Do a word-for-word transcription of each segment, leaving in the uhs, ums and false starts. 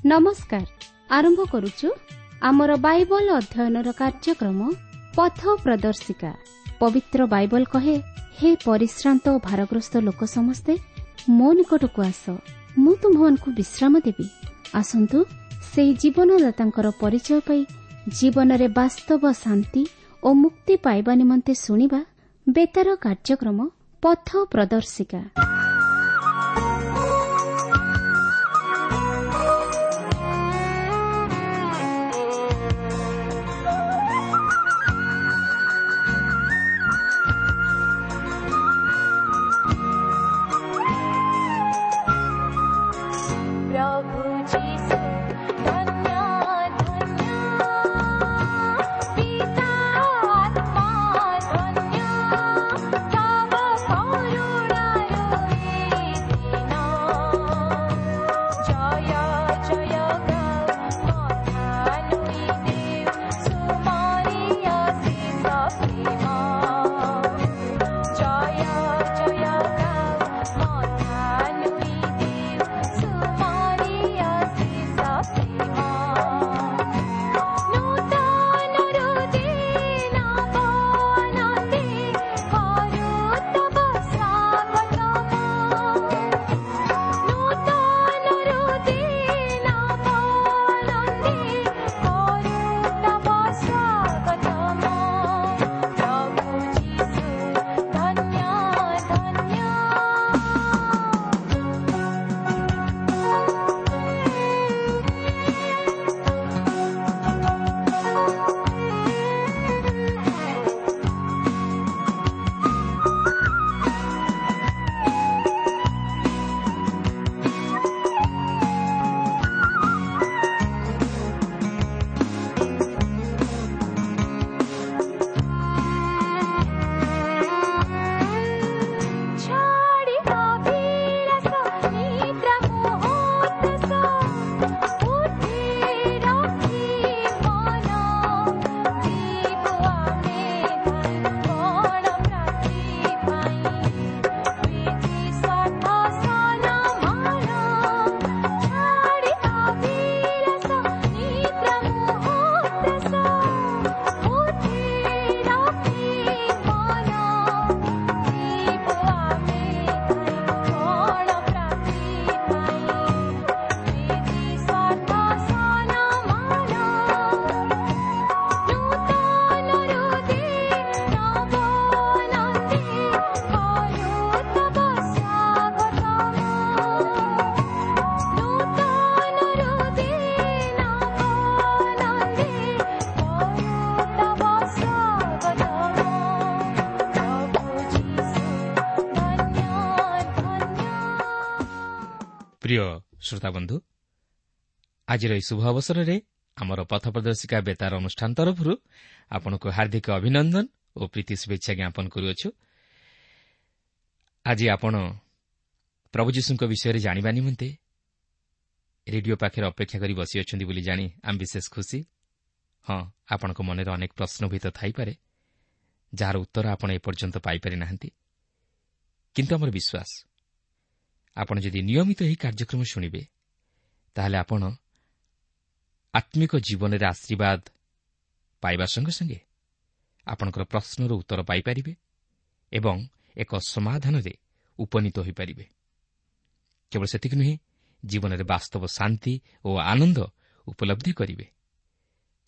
ନମସ୍କାର। ଆରମ୍ଭ କରୁଛୁ ଆମର ବାଇବଲ ଅଧ୍ୟୟନର କାର୍ଯ୍ୟକ୍ରମ ପଥ ପ୍ରଦର୍ଶିକା। ପବିତ୍ର ବାଇବଲ କହେ, ହେ ପରିଶ୍ରାନ୍ତ ଓ ଭାରଗ୍ରସ୍ତ ଲୋକ ସମସ୍ତେ ମୋ ନିକଟକୁ ଆସ, ମୁଁ ତୁମ୍ଭମାନଙ୍କୁ ବିଶ୍ରାମ ଦେବି। ଆସନ୍ତୁ ସେହି ଜୀବନଦାତାଙ୍କର ପରିଚୟ ପାଇ ଜୀବନରେ ବାସ୍ତବ ଶାନ୍ତି ଓ ମୁକ୍ତି ପାଇବା ନିମନ୍ତେ ଶୁଣିବା ବେତାର କାର୍ଯ୍ୟକ୍ରମ ପଥ ପ୍ରଦର୍ଶିକା। ପ୍ରଭୁ ଯୀଶୁ ଧନ୍ୟ ଧନ୍ୟ, ପିତା ଆତ୍ମା ଧନ୍ୟ, ତବ କରୁଣାରୁ ଏ ଦିନ। ଜୟ ଜୟ ଗାଉ ମଥାନୁଇ ଦେଉ ସୁମରି ଅଶେଷ ପ୍ରେମ। ଜୟ ଜୟ ଗାଉ ମଥାନୁଇ ଦେଉ ସୁମରି ଅଶେଷ ପ୍ରେମ। ନୂତନ ହୃଦୟ ବନନ୍ଦେ କରୁ ତବ ସ୍ୱାଗତମ। ନୂତନ ହୃଦୟ ବନନ୍ଦେ କରୁ ତବ ସ୍ୱାଗତମ। ପ୍ରଭୁ ଯୀଶୁ ଧନ୍ୟ ଧନ୍ୟ। ଛାଡ଼ି ଅଭିଳାଷ ନିଦ୍ରା ମୋହ ଉଠି ରଖି ମନ, ଯିବୁ ଆମେ କଣ ପ୍ରାପ୍ତି ପାଇଁ ପ୍ରୀତି ସ୍ୱାର୍ଥ ସନମାନ। ଛାଡ଼ି ଅଭିଳାଷ ନିଦ୍ରା ମୋହ ଉଠି ରଖି ମନ, ଯିବୁ ଆମେ କଣ ପ୍ରାପ୍ତି ପାଇଁ ପ୍ରୀତି ସ୍ୱାର୍ଥ ସନମାନ। ନୂତନ ହୃଦୟ ବନନ୍ଦେ କରୁ ତବ ସ୍ୱାଗତମ। ନୂତନ ହୃଦୟ ବନନ୍ଦେ କରୁ ତବ ସ୍ୱାଗତମ। ପ୍ରଭୁ ଯୀଶୁ ଧନ୍ୟ ଧନ୍ୟ। ପ୍ରିୟ ଶ୍ରୋତାବନ୍ଧୁ, ଆଜିର ଏହି ଶୁଭ ଅବସରରେ ଆମର ପଥ ପ୍ରଦର୍ଶିକା ବେତାର ଅନୁଷ୍ଠାନ ତରଫରୁ ଆପଣଙ୍କୁ ହାର୍ଦ୍ଦିକ ଅଭିନନ୍ଦନ ଓ ପ୍ରୀତି ଶୁଭେଚ୍ଛା ଜ୍ଞାପନ କରୁଅଛୁ। ଆଜି ଆପଣ ପ୍ରଭୁ ଯୀଶୁଙ୍କ ବିଷୟରେ ଜାଣିବା ନିମନ୍ତେ ରେଡିଓ ପାଖରେ ଅପେକ୍ଷା କରି ବସିଅଛନ୍ତି ବୋଲି ଜାଣି ଆମେ ବିଶେଷ ଖୁସି। ହଁ, ଆପଣଙ୍କ ମନରେ ଅନେକ ପ୍ରଶ୍ନ ହୁଏତ ଥାଇପାରେ, ଯାହାର ଉତ୍ତର ଆପଣ ଏପର୍ଯ୍ୟନ୍ତ ପାଇପାରି ନାହାନ୍ତି। କିନ୍ତୁ ଆମର ବିଶ୍ୱାସ, ଆପଣ ଯଦି ନିୟମିତ ଏହି କାର୍ଯ୍ୟକ୍ରମ ଶୁଣିବେ, ତାହେଲେ ଆପଣ ଆତ୍ମିକ ଜୀବନରେ ଆଶୀର୍ବାଦ ପାଇବା ସଙ୍ଗେ ସଙ୍ଗେ ଆପଣଙ୍କର ପ୍ରଶ୍ନର ଉତ୍ତର ପାଇପାରିବେ ଏବଂ ଏକ ସମାଧାନରେ ଉପନୀତ ହୋଇପାରିବେ। କେବଳ ସେତିକି ନୁହେଁ, ଜୀବନରେ ବାସ୍ତବ ଶାନ୍ତି ଓ ଆନନ୍ଦ ଉପଲବ୍ଧି କରିବେ,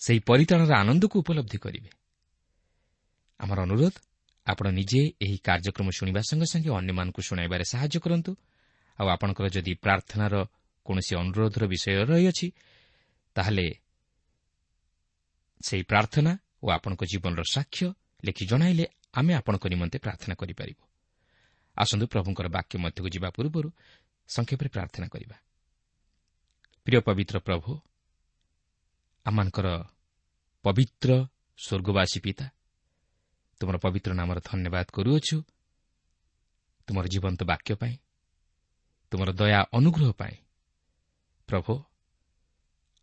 ସେହି ପରିତ୍ରାଣର ଆନନ୍ଦକୁ ଉପଲବ୍ଧି କରିବେ। ଆମର ଅନୁରୋଧ, ଆପଣ ନିଜେ ଏହି କାର୍ଯ୍ୟକ୍ରମ ଶୁଣିବା ସଙ୍ଗେ ସଙ୍ଗେ ଅନ୍ୟମାନଙ୍କୁ ଶୁଣାଇବାରେ ସାହାଯ୍ୟ କରନ୍ତୁ। ଆଉ ଆପଣଙ୍କର ଯଦି ପ୍ରାର୍ଥନାର କୌଣସି ଅନୁରୋଧର ବିଷୟ ରହିଅଛି, ତାହେଲେ ସେହି ପ୍ରାର୍ଥନା ଓ ଆପଣଙ୍କ ଜୀବନର ସାକ୍ଷ୍ୟ ଲେଖି ଜଣାଇଲେ ଆମେ ଆପଣଙ୍କ ନିମନ୍ତେ ପ୍ରାର୍ଥନା କରିପାରିବୁ। ଆସନ୍ତୁ ପ୍ରଭୁଙ୍କର ବାକ୍ୟ ମଧ୍ୟକୁ ଯିବା ପୂର୍ବରୁ ସଂକ୍ଷେପରେ ପ୍ରାର୍ଥନା କରିବା। ପ୍ରିୟ ପବିତ୍ର ପ୍ରଭୁ, ଆମମାନଙ୍କର ପବିତ୍ର ସ୍ୱର୍ଗବାସୀ ପିତା, ତୁମର ପବିତ୍ର ନାମର ଧନ୍ୟବାଦ କରୁଅଛୁ ତୁମର ଜୀବନ୍ତ ବାକ୍ୟ ପାଇଁ, ତୁମର ଦୟା ଅନୁଗ୍ରହ ପାଇଁ। ପ୍ରଭୁ,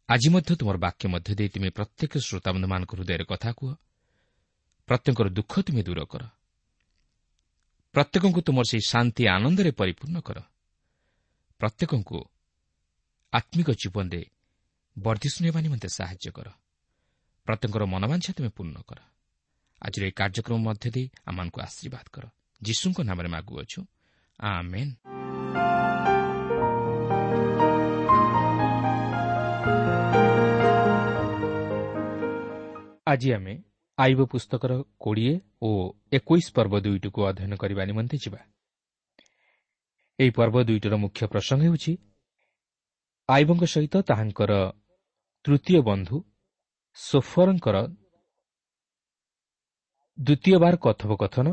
ଆଜି ମଧ୍ୟ ତୁମର ବାକ୍ୟ ମଧ୍ୟ ଦେଇ ତୁମେ ପ୍ରତ୍ୟେକ ଶ୍ରୋତାବନ୍ଧୁମାନଙ୍କ ହୃଦୟରେ କଥା କୁହ। ପ୍ରତ୍ୟେକଙ୍କର ଦୁଃଖ ତୁମେ ଦୂର କର, ପ୍ରତ୍ୟେକଙ୍କୁ ତୁମର ସେହି ଶାନ୍ତି ଆନନ୍ଦରେ ପରିପୂର୍ଣ୍ଣ କର, ପ୍ରତ୍ୟେକଙ୍କୁ ଆତ୍ମିକ ଜୀବନରେ ବର୍ଦ୍ଧିଷ୍ଣୁ ହେବା ନିମନ୍ତେ ସାହାଯ୍ୟ କର। ପ୍ରତ୍ୟେକଙ୍କର ମନବାଞ୍ଛା ତୁମେ ପୂର୍ଣ୍ଣ କର। ଆଜିର ଏହି କାର୍ଯ୍ୟକ୍ରମ ମଧ୍ୟ ଦେଇ ଆମମାନଙ୍କୁ ଆଶୀର୍ବାଦ କର। ଯୀଶୁଙ୍କ ନାମରେ ମାଗୁଅଛୁ, ଆମେନ୍। ଆଜି ଆମେ ଆଇବ ପୁସ୍ତକର କୋଡ଼ିଏ ଓ ଏକୋଇଶ ପର୍ବ ଦୁଇଟିକୁ ଅଧ୍ୟୟନ କରିବା ନିମନ୍ତେ ଯିବା। ଏହି ପର୍ବ ଦୁଇଟିର ମୁଖ୍ୟ ପ୍ରସଙ୍ଗ ହେଉଛି ଆଇବଙ୍କ ସହିତ ତାହାଙ୍କର ତୃତୀୟ ବନ୍ଧୁ ସୋଫରଙ୍କର ଦ୍ୱିତୀୟବାର କଥୋପକଥନ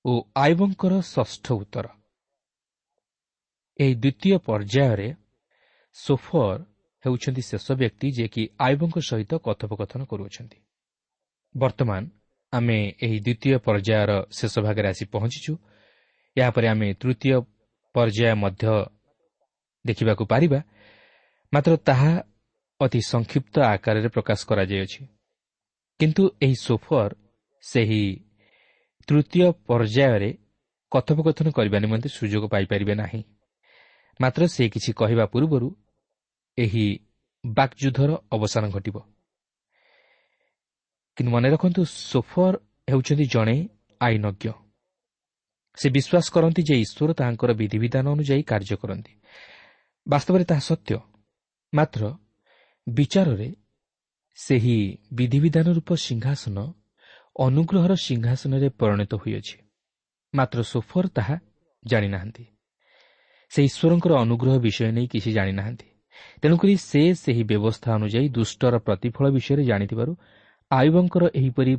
ଓ ଆଇବଙ୍କର ଷଷ୍ଠ ଉତ୍ତର। ଏହି ଦ୍ୱିତୀୟ ପର୍ଯ୍ୟାୟରେ ସୋଫର ହେଉଛନ୍ତି ଶେଷ ବ୍ୟକ୍ତି ଯିଏକି ଆଇବଙ୍କ ସହିତ କଥୋପକଥନ କରୁଅଛନ୍ତି। ବର୍ତ୍ତମାନ ଆମେ ଏହି ଦ୍ୱିତୀୟ ପର୍ଯ୍ୟାୟର ଶେଷ ଭାଗରେ ଆସି ପହଞ୍ଚିଛୁ। ଏହାପରେ ଆମେ ତୃତୀୟ ପର୍ଯ୍ୟାୟ ମଧ୍ୟ ଦେଖିବାକୁ ପାରିବା, ମାତ୍ର ତାହା ଅତି ସଂକ୍ଷିପ୍ତ ଆକାରରେ ପ୍ରକାଶ କରାଯାଇଅଛି। କିନ୍ତୁ ଏହି ସୋଫର ସେହି ତୃତୀୟ ପର୍ଯ୍ୟାୟରେ କଥୋପକଥନ କରିବା ନିମନ୍ତେ ସୁଯୋଗ ପାଇପାରିବେ ନାହିଁ। ମାତ୍ର ସେ କିଛି କହିବା ପୂର୍ବରୁ ଏହି ବାକ୍ଯୁଦ୍ଧର ଅବସାନ ଘଟିବ। କିନ୍ତୁ ମନେ ରଖନ୍ତୁ, ସୋଫର ହେଉଛନ୍ତି ଜଣେ ଆଇନଜ୍ଞ। ସେ ବିଶ୍ୱାସ କରନ୍ତି ଯେ ଈଶ୍ୱର ତାହାଙ୍କର ବିଧିବିଧାନ ଅନୁଯାୟୀ କାର୍ଯ୍ୟ କରନ୍ତି। ବାସ୍ତବରେ ତାହା ସତ୍ୟ, ମାତ୍ର ବିଚାରରେ ସେହି ବିଧିବିଧାନ ରୂପ ସିଂହାସନ ଅନୁଗ୍ରହର ସିଂହାସନରେ ପରିଣତ ହୋଇଅଛି। ମାତ୍ର ସୋଫର ତାହା ଜାଣିନାହାନ୍ତି। ସେ ଈଶ୍ୱରଙ୍କର ଅନୁଗ୍ରହ ବିଷୟ ନେଇ କିଛି ଜାଣିନାହାନ୍ତି। ତେଣୁକରି ସେ ସେହି ବ୍ୟବସ୍ଥା ଅନୁଯାୟୀ ଦୁଷ୍ଟର ପ୍ରତିଫଳ ବିଷୟରେ ଜାଣିଥିବାରୁ ଆୟୁବଙ୍କର ଏହିପରି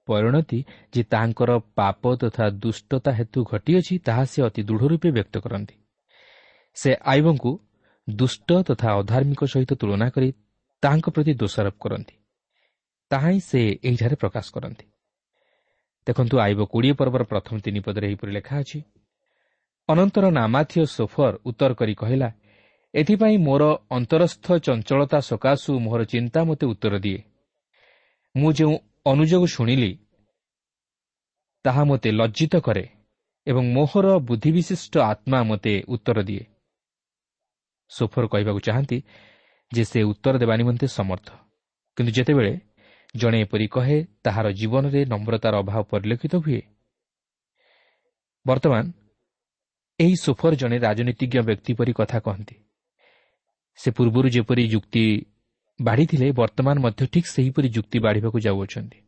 ପରିଣତି ଯେ ତାଙ୍କର ପାପ ତଥା ଦୁଷ୍ଟତା ହେତୁ ଘଟିଅଛି, ତାହା ସେ ଅତି ଦୃଢ଼ ରୂପେ ବ୍ୟକ୍ତ କରନ୍ତି। ସେ ଆୟୁବଙ୍କୁ ଦୁଷ୍ଟ ତଥା ଅଧାର୍ମିକ ସହିତ ତୁଳନା କରି ତାହାଙ୍କ ପ୍ରତି ଦୋଷାରୋପ କରନ୍ତି। ତାହା ହିଁ ସେ ଏହିଠାରେ ପ୍ରକାଶ କରନ୍ତି। ଦେଖନ୍ତୁ, ଆୟୁବ କୋଡ଼ିଏ ପର୍ବର ପ୍ରଥମ ତିନି ପଦରେ ଏହିପରି ଲେଖା ଅଛି, ଅନନ୍ତର ନାମାଥୀୟ ସୋଫର ଉତ୍ତର କରି କହିଲା, ଏଥିପାଇଁ ମୋର ଅନ୍ତରସ୍ଥ ଚଞ୍ଚଳତା ସକାଶୁ ମୋହର ଚିନ୍ତା ମୋତେ ଉତ୍ତର ଦିଏ। ମୁଁ ଯେଉଁ ଅନୁଯୋଗ ଶୁଣିଲି ତାହା ମୋତେ ଲଜ୍ଜିତ କରେ ଏବଂ ମୋହର ବୁଦ୍ଧିବିଶିଷ୍ଟ ଆତ୍ମା ମୋତେ ଉତ୍ତର ଦିଏ। ସୋଫର କହିବାକୁ ଚାହାନ୍ତି ଯେ ସେ ଉତ୍ତର ଦେବା ନିମନ୍ତେ ସମର୍ଥ, କିନ୍ତୁ ଯେତେବେଳେ ଜଣେ ଏପରି କହେ ତାହାର ଜୀବନରେ ନମ୍ରତାର ଅଭାବ ପରିଲକ୍ଷିତ ହୁଏ। ବର୍ତ୍ତମାନ ଏହି ସୋଫର ଜଣେ ରାଜନୀତିଜ୍ଞ ବ୍ୟକ୍ତି ପରି କଥା କହନ୍ତି। ସେ ପୂର୍ବରୁ ଯେପରି ଯୁକ୍ତି ବାଢ଼ିଥିଲେ, ବର୍ତ୍ତମାନ ମଧ୍ୟ ଠିକ୍ ସେହିପରି ଯୁକ୍ତି ବାଢ଼ିବାକୁ ଯାଉଅଛନ୍ତି।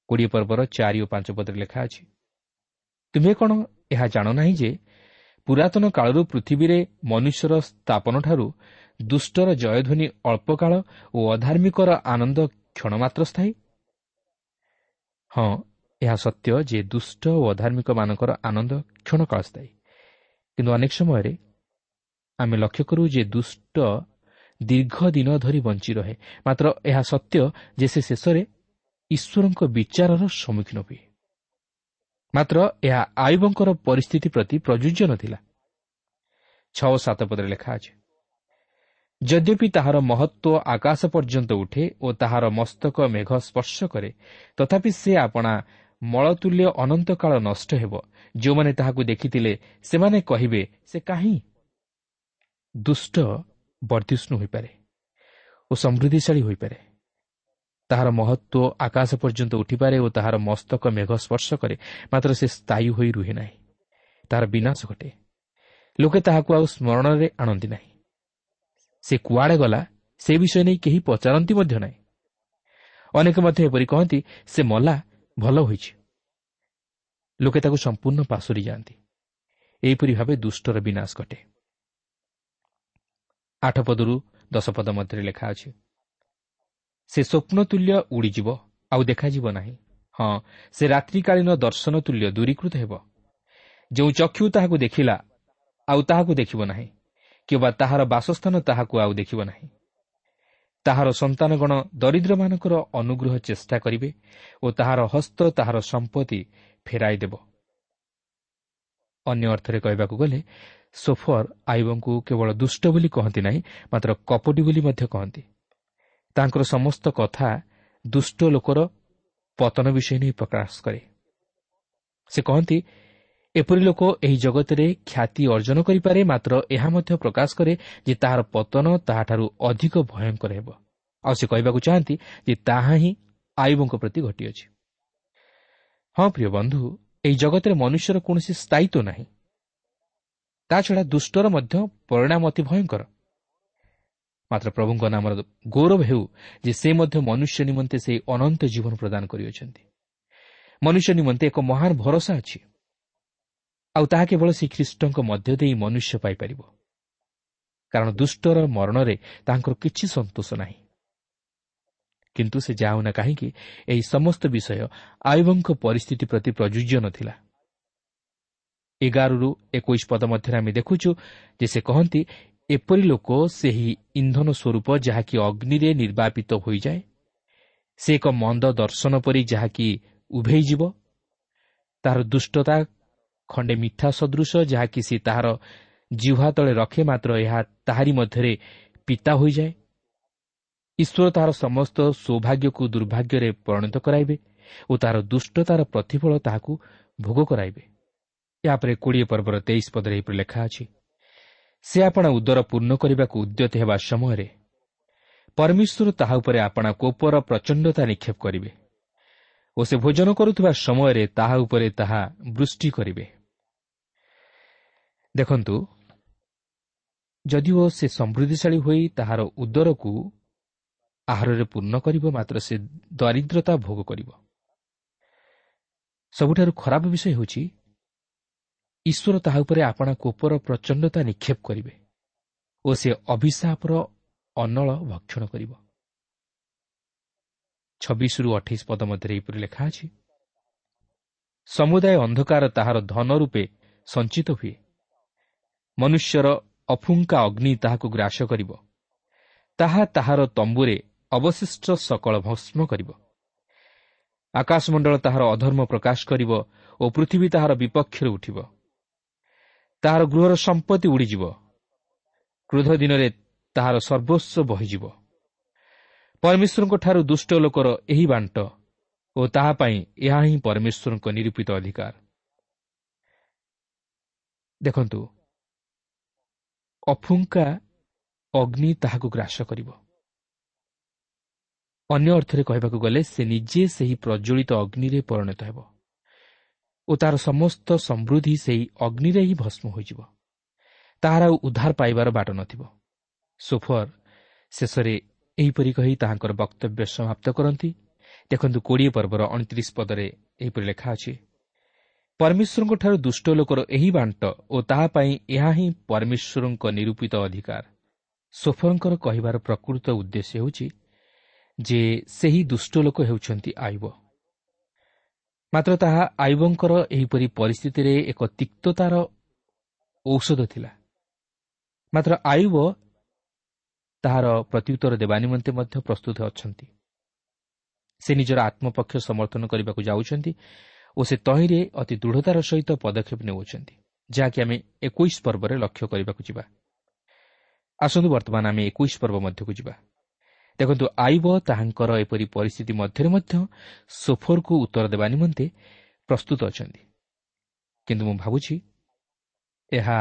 କୋଡ଼ିଏ ପର୍ବର ଚାରି ଓ ପାଞ୍ଚ ପଦରେ ଲେଖା ଅଛି, ତୁମେ କ'ଣ ଏହା ଜାଣ ନାହିଁ ଯେ ପୁରାତନ କାଳରୁ ପୃଥିବୀରେ ମନୁଷ୍ୟର ସ୍ଥାପନଠାରୁ ଦୁଷ୍ଟର ଜୟଧ୍ୱନି ଅଳ୍ପକାଳ ଓ ଅଧାର୍ମିକର ଆନନ୍ଦ କ୍ଷଣମାତ୍ର ସ୍ଥାୟୀ? ହଁ, ଏହା ସତ୍ୟ ଯେ ଦୁଷ୍ଟ ଓ ଅଧାର୍ମିକମାନଙ୍କର ଆନନ୍ଦ କ୍ଷଣକାଳ ସ୍ଥାୟୀ, କିନ୍ତୁ ଅନେକ ସମୟରେ ଆମେ ଲକ୍ଷ୍ୟ କରୁ ଯେ ଦୁଷ୍ଟ ଦୀର୍ଘ ଦିନ ଧରି ବଞ୍ଚି ରହେ। ମାତ୍ର ଏହା ସତ୍ୟ ଯେ ସେ ଶେଷରେ ଈଶ୍ୱରଙ୍କ ବିଚାରର ସମ୍ମୁଖୀନ ହୁଏ। ମାତ୍ର ଏହା ଆୟୁବଙ୍କର ପରିସ୍ଥିତି ପ୍ରତି ପ୍ରଯୁଜ୍ୟ ନଥିଲା। ଛଅ ସାତ ପଦରେ ଲେଖା ଅଛି, ଯଦ୍ୟପି ତାହାର ମହତ୍ତ୍ୱ ଆକାଶ ପର୍ଯ୍ୟନ୍ତ ଉଠେ ଓ ତାହାର ମସ୍ତକ ମେଘ ସ୍ପର୍ଶ କରେ, ତଥାପି ସେ ଆପଣା ମଳତୁଲ୍ୟ ଅନନ୍ତକାଳ ନଷ୍ଟ ହେବ। ଯେଉଁମାନେ ତାହାକୁ ଦେଖିଥିଲେ ସେମାନେ କହିବେ, ସେ କାହିଁ? ଦୁଷ୍ଟ ବର୍ଦ୍ଧିଷ୍ଣୁ ହୋଇପାରେ ଓ ସମୃଦ୍ଧିଶାଳୀ ହୋଇପାରେ, ତାହାର ମହତ୍ତ୍ୱ ଆକାଶ ପର୍ଯ୍ୟନ୍ତ ଉଠିପାରେ ଓ ତାହାର ମସ୍ତକ ମେଘ ସ୍ପର୍ଶ କରେ, ମାତ୍ର ସେ ସ୍ଥାୟୀ ହୋଇ ରୁହେ ନାହିଁ, ତାହାର ବିନାଶ ଘଟେ। ଲୋକେ ତାହାକୁ ଆଉ ସ୍ମରଣରେ ଆଣନ୍ତି ନାହିଁ। ସେ କୁଆଡ଼େ ଗଲା ସେ ବିଷୟ ନେଇ କେହି ପଚାରନ୍ତି ମଧ୍ୟ ନାହିଁ। ଅନେକ ମଧ୍ୟ ଏପରି କହନ୍ତି, ସେ ମଲା, ଭଲ ହୋଇଛି। ଲୋକେ ତାକୁ ସମ୍ପୂର୍ଣ୍ଣ ପାଶୋରି ଯାଆନ୍ତି। ଏହିପରି ଭାବେ ଦୁଷ୍ଟର ବିନାଶ ଘଟେ। ଆଠ ପଦରୁ ଦଶ ପଦ ମଧ୍ୟରେ ଲେଖା ଅଛି, ସେ ସ୍ୱପ୍ନ ତୁଲ୍ୟ ଉଡ଼ିଯିବ, ଆଉ ଦେଖାଯିବ ନାହିଁ। ହଁ, ସେ ରାତ୍ରିକାଳୀନ ଦର୍ଶନ ତୁଲ୍ୟ ଦୂରୀକୃତ ହେବ। ଯେଉଁ ଚକ୍ଷୁ ତାହାକୁ ଦେଖିଲା ଆଉ ତାହାକୁ ଦେଖିବ ନାହିଁ, କିମ୍ବା ତାହାର ବାସସ୍ଥାନ ତାହାକୁ ଆଉ ଦେଖିବ ନାହିଁ। ତାହାର ସନ୍ତାନଗଣ ଦରିଦ୍ରମାନଙ୍କର ଅନୁଗ୍ରହ ଚେଷ୍ଟା କରିବେ ଓ ତାହାର ହସ୍ତ ତାହାର ସମ୍ପତ୍ତି ଫେରାଇ ଦେବ। ଅନ୍ୟ ଅର୍ଥରେ କହିବାକୁ ଗଲେ ସୋଫର ଆୟୁବଙ୍କୁ କେବଳ ଦୁଷ୍ଟ ବୋଲି କହନ୍ତି ନାହିଁ, ମାତ୍ର କପଟୀ ବୋଲି ମଧ୍ୟ କହନ୍ତି। ତାଙ୍କର ସମସ୍ତ କଥା ଦୁଷ୍ଟ ଲୋକର ପତନ ବିଷୟ ନେଇ ପ୍ରକାଶ କରେ। ସେ କହନ୍ତି, ଏପରି ଲୋକ ଏହି ଜଗତରେ ଖ୍ୟାତି ଅର୍ଜନ କରିପାରେ, ମାତ୍ର ଏହା ମଧ୍ୟ ପ୍ରକାଶ କରେ ଯେ ତାହାର ପତନ ତାହାଠାରୁ ଅଧିକ ଭୟଙ୍କର ହେବ। ଆଉ ସେ କହିବାକୁ ଚାହାନ୍ତି ଯେ ତାହା ହିଁ ଆୟୁବଙ୍କ ପ୍ରତି ଘଟିଅଛି। ହଁ ପ୍ରିୟ ବନ୍ଧୁ, ଏହି ଜଗତରେ ମନୁଷ୍ୟର କୌଣସି ସ୍ଥାୟିତ୍ୱ ନାହିଁ। ତାଛଡ଼ା ଦୁଷ୍ଟର ମଧ୍ୟ ପରିଣାମ ଅତି ଭୟଙ୍କର। ମାତ୍ର ପ୍ରଭୁଙ୍କ ନାମର ଗୌରବ ହେଉ ଯେ ସେ ମଧ୍ୟ ମନୁଷ୍ୟ ନିମନ୍ତେ ସେହି ଅନନ୍ତ ଜୀବନ ପ୍ରଦାନ କରିଅଛନ୍ତି। ମନୁଷ୍ୟ ନିମନ୍ତେ ଏକ ମହାନ ଭରସା ଅଛି, ଆଉ ତାହା କେବଳ ଶ୍ରୀ ଖ୍ରୀଷ୍ଟଙ୍କ ମଧ୍ୟ ଦେଇ ମନୁଷ୍ୟ ପାଇପାରିବ। କାରଣ ଦୁଷ୍ଟର ମରଣରେ ତାଙ୍କର କିଛି ସନ୍ତୋଷ ନାହିଁ। କିନ୍ତୁ ସେ ଯାହା ହେଉନା କାହିଁକି, ଏହି ସମସ୍ତ ବିଷୟ ଆୟୁବଙ୍କ ପରିସ୍ଥିତି ପ୍ରତି ପ୍ରଯୁଜ୍ୟ ନଥିଲା। ଏଗାରରୁ ଏକୋଇଶ ପଦ ମଧ୍ୟରେ ଆମେ ଦେଖୁଛୁ ଯେ ସେ କହନ୍ତି, ଏପରି ଲୋକ ସେହି ଇନ୍ଧନ ସ୍ୱରୂପ ଯାହାକି ଅଗ୍ନିରେ ନିର୍ବାପିତ ହୋଇଯାଏ, ସେ ଏକ ମନ୍ଦ ଦର୍ଶନ ପରି ଯାହାକି ଉଭେଇଯିବ। ତାହାର ଦୁଷ୍ଟତା ଖଣ୍ଡେ ମିଠା ସଦୃଶ ଯାହାକି ସେ ତାହାର ଜିହ୍ୱା ତଳେ ରଖେ, ମାତ୍ର ଏହା ତାହାରି ମଧ୍ୟରେ ପିତା ହୋଇଯାଏ। ଈଶ୍ୱର ତାହାର ସମସ୍ତ ସୌଭାଗ୍ୟକୁ ଦୁର୍ଭାଗ୍ୟରେ ପରିଣତ କରାଇବେ ଓ ତାହାର ଦୁଷ୍ଟତାର ପ୍ରତିଫଳ ତାହାକୁ ଭୋଗ କରାଇବେ। ଏହାପରେ କୋଡ଼ିଏ ପର୍ବର ତେଇଶ ପଦରେ ଏହିପରି ଲେଖା ଅଛି, ସେ ଆପଣା ଉଦର ପୂର୍ଣ୍ଣ କରିବାକୁ ଉଦ୍ୟତ ହେବା ସମୟରେ ପରମେଶ୍ୱର ତାହା ଉପରେ ଆପଣା କୋପର ପ୍ରଚଣ୍ଡତା ନିକ୍ଷେପ କରିବେ ଓ ସେ ଭୋଜନ କରୁଥିବା ସମୟରେ ତାହା ଉପରେ ତାହା ବୃଷ୍ଟି କରିବେ। ଦେଖନ୍ତୁ, ଯଦିଓ ସେ ସମୃଦ୍ଧିଶାଳୀ ହୋଇ ତାହାର ଉଦରକୁ ଆହାରରେ ପୂର୍ଣ୍ଣ କରିବ, ମାତ୍ର ସେ ଦରିଦ୍ରତା ଭୋଗ କରିବ। ସବୁଠାରୁ ଖରାପ ବିଷୟ ହେଉଛି ଈଶ୍ୱର ତାହା ଉପରେ ଆପଣା କୋପର ପ୍ରଚଣ୍ଡତା ନିକ୍ଷେପ କରିବେ ଓ ସେ ଅଭିଶାପର ଅନଳ ଭକ୍ଷଣ କରିବ। ଛବିଶରୁ ଅଠେଇଶ ପଦ ମଧ୍ୟରେ ଏହିପରି ଲେଖା ଅଛି, ସମୁଦାୟ ଅନ୍ଧକାର ତାହାର ଧନ ରୂପେ ସଞ୍ଚିତ ହୁଏ, ମନୁଷ୍ୟର ଅଫୁଙ୍କା ଅଗ୍ନି ତାହାକୁ ଗ୍ରାସ କରିବ, ତାହା ତାହାର ତମ୍ବୁରେ ଅବଶିଷ୍ଟ ସକଳ ଭସ୍ମ କରିବ। ଆକାଶମଣ୍ଡଳ ତାହାର ଅଧର୍ମ ପ୍ରକାଶ କରିବ ଓ ପୃଥିବୀ ତାହାର ବିପକ୍ଷରେ ଉଠିବ। ତାହାର ଗୃହର ସମ୍ପତ୍ତି ଉଡ଼ିଯିବ, କ୍ରୋଧ ଦିନରେ ତାହାର ସର୍ବସ୍ୱ ବହିଯିବ। ପରମେଶ୍ୱରଙ୍କଠାରୁ ଦୁଷ୍ଟ ଲୋକର ଏହି ବାଣ୍ଟ ଓ ତାହା ପାଇଁ ଏହା ହିଁ ପରମେଶ୍ୱରଙ୍କ ନିରୂପିତ ଅଧିକାର। ଦେଖନ୍ତୁ, ଅଫୁଙ୍କା ଅଗ୍ନି ତାହାକୁ ଗ୍ରାସ କରିବ। ଅନ୍ୟ ଅର୍ଥରେ କହିବାକୁ ଗଲେ ସେ ନିଜେ ସେହି ପ୍ରଜ୍ୱଳିତ ଅଗ୍ନିରେ ପରିଣତ ହେବ ଓ ତାର ସମସ୍ତ ସମୃଦ୍ଧି ସେହି ଅଗ୍ନିରେ ହିଁ ଭସ୍ମ ହୋଇଯିବ। ତାହାର ଆଉ ଉଦ୍ଧାର ପାଇବାର ବାଟ ନଥିବ। ସୋଫର ଶେଷରେ ଏହିପରି କହି ତାହାଙ୍କର ବକ୍ତବ୍ୟ ସମାପ୍ତ କରନ୍ତି। ଦେଖନ୍ତୁ, କୋଡ଼ିଏ ପର୍ବର ଅଣତିରିଶ ପଦରେ ଏହିପରି ଲେଖା ଅଛି, ପରମେଶ୍ୱରଙ୍କଠାରୁ ଦୁଷ୍ଟ ଲୋକର ଏହି ବାଣ୍ଟ ଓ ତାହା ପାଇଁ ଏହା ହିଁ ପରମେଶ୍ୱରଙ୍କ ନିରୂପିତ ଅଧିକାର। ସୋଫରଙ୍କର କହିବାର ପ୍ରକୃତ ଉଦ୍ଦେଶ୍ୟ ହେଉଛି ଯେ ସେହି ଦୁଷ୍ଟ ଲୋକ ହେଉଛନ୍ତି ଆୟୁବ। ମାତ୍ର ତାହା ଆୟୁବଙ୍କର ଏହିପରି ପରିସ୍ଥିତିରେ ଏକ ତିକ୍ତତାର ଔଷଧ ଥିଲା। ମାତ୍ର ଆୟୁବ ତାହାର ପ୍ରତ୍ୟୁତ୍ତର ଦେବା ନିମନ୍ତେ ମଧ୍ୟ ପ୍ରସ୍ତୁତ ଅଛନ୍ତି। ସେ ନିଜର ଆତ୍ମପକ୍ଷ ସମର୍ଥନ କରିବାକୁ ଯାଉଛନ୍ତି ଓ ସେ ତହିଁରେ ଅତି ଦୃଢ଼ତାର ସହିତ ପଦକ୍ଷେପ ନେଉଛନ୍ତି, ଯାହାକି ଆମେ ଏକୋଇଶ ପର୍ବରେ ଲକ୍ଷ୍ୟ କରିବାକୁ ଯିବା। ଆସନ୍ତୁ ବର୍ତ୍ତମାନ ଆମେ ଏକୋଇଶ ପର୍ବ ମଧ୍ୟକୁ ଯିବା। ଦେଖନ୍ତୁ, ଆୟୁବ ତାହାଙ୍କର ଏପରି ପରିସ୍ଥିତି ମଧ୍ୟରେ ମଧ୍ୟ ସୋଫରକୁ ଉତ୍ତର ଦେବା ନିମନ୍ତେ ପ୍ରସ୍ତୁତ ଅଛନ୍ତି। କିନ୍ତୁ ମୁଁ ଭାବୁଛି ଏହା